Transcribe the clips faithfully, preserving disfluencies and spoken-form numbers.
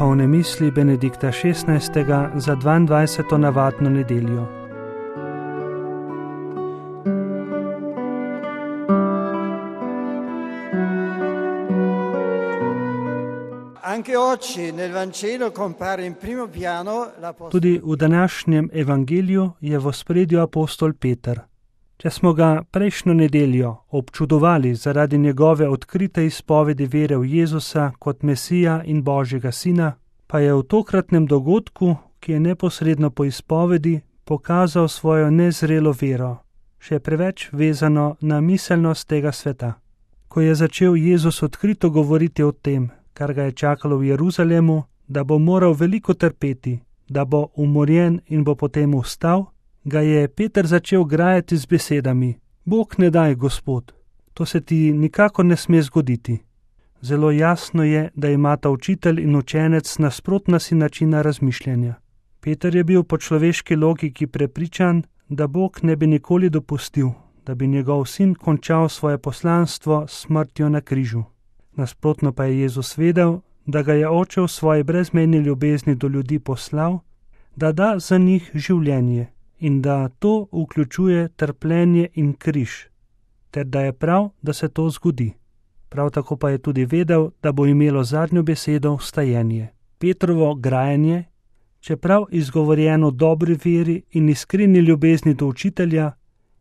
duhovne misli Benedikta šestnajstega za dvaindvajseto navadno nedeljo. Tudi v današnjem evangeliju je v ospredju apostol Peter. Če smo ga prejšnjo nedeljo občudovali zaradi njegove odkrite izpovedi vere v Jezusa kot Mesija in Božjega sina, pa je v tokratnem dogodku, ki je neposredno po izpovedi, pokazal svojo nezrelo vero, še preveč vezano na miselnost tega sveta. Ko je začel Jezus odkrito govoriti o tem, kar ga je čakalo v Jeruzalemu, da bo moral veliko trpeti, da bo umorjen in bo potem vstal, ga je Peter začel grajati z besedami: Bog ne daj, Gospod, to se ti nikakor ne sme zgoditi. Zelo jasno je, da imata učitelj in učenec nasprotna si načina razmišljanja. Peter je bil po človeški logiki prepričan, da Bog ne bi nikoli dopustil, da bi njegov sin končal svoje poslanstvo s smrtjo na križu. Nasprotno pa je Jezus vedel, da ga je Oče v svoji brezmejni ljubezni do ljudi poslal, da da za njih življenje in da to vključuje trpljenje in križ, ter da je prav, da se to zgodi. Prav tako pa je tudi vedel, da bo imelo zadnjo besedo vstajenje. Petrovo grajanje, čeprav izgovorjeno v dobri veri in iskreni ljubezni do učitelja,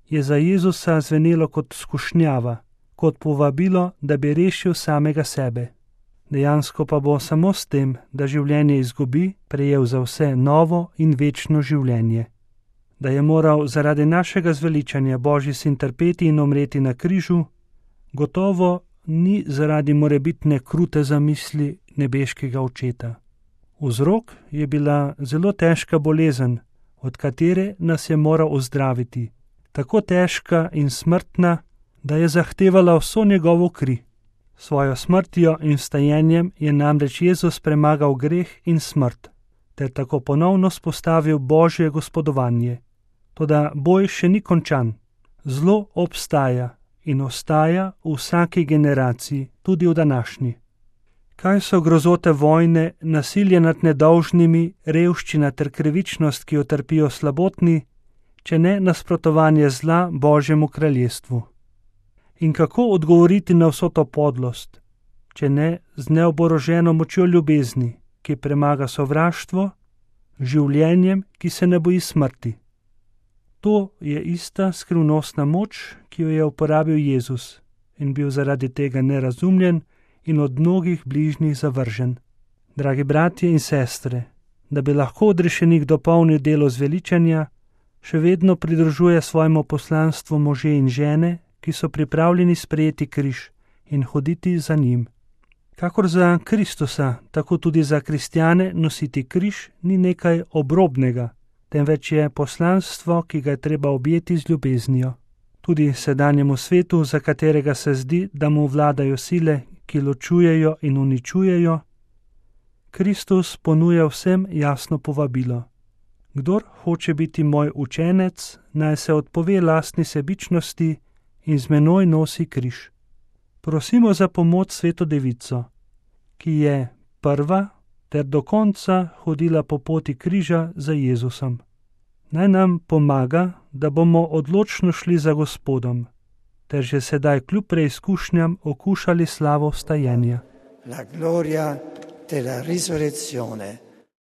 je za Jezusa zvenelo kot skušnjava, kot povabilo, da bi rešil samega sebe. Dejansko pa bo samo s tem, da življenje izgubi, prejel za vse novo in večno življenje. Da je moral zaradi našega zveličanja Božji sin trpeti in umreti na križu, gotovo ni zaradi morebitne krute zamisli nebeškega očeta. Vzrok je bila zelo težka bolezen, od katere nas je moral ozdraviti, tako težka in smrtna, da je zahtevala vso njegovo kri. Svojo smrtjo in vstajenjem je namreč Jezus premagal greh in smrt, ter tako ponovno spostavil Božje gospodovanje. Toda boj še ni končan. Zlo obstaja in ostaja v vsaki generaciji, tudi v današnji. Kaj so grozote vojne, nasilje nad nedolžnimi, revščina ter krivičnost, ki jo trpijo slabotni, če ne nasprotovanje zla Božjemu kraljestvu? In kako odgovoriti na vso to podlost, če ne z neoboroženo močjo ljubezni, ki premaga sovraštvo, življenjem, ki se ne boji smrti? To je ista skrivnostna moč, ki jo je uporabil Jezus in bil zaradi tega nerazumljen in od mnogih bližnjih zavržen. Dragi bratje in sestre, da bi lahko odrešenik dopolnil delo zveličanja, še vedno pridružuje svojemu poslanstvu može in žene, ki so pripravljeni sprejeti križ in hoditi za njim. Kakor za Kristusa, tako tudi za kristjane nositi križ ni nekaj obrobnega, temveč je poslanstvo, ki ga je treba objeti z ljubeznijo. Tudi sedanjemu svetu, za katerega se zdi, da mu vladajo sile, ki ločujejo in uničujejo, Kristus ponuja vsem jasno povabilo. Kdor hoče biti moj učenec, naj se odpove lastni sebičnosti in z menoj nosi križ. Prosimo za pomoč Sveto Devico, ki je prva ter do konca hodila po poti križa za Jezusom. Naj nam pomaga, da bomo odločno šli za Gospodom, ter že sedaj kljub preizkušnjam okušali slavo vstajenja. La gloria della risurrezione.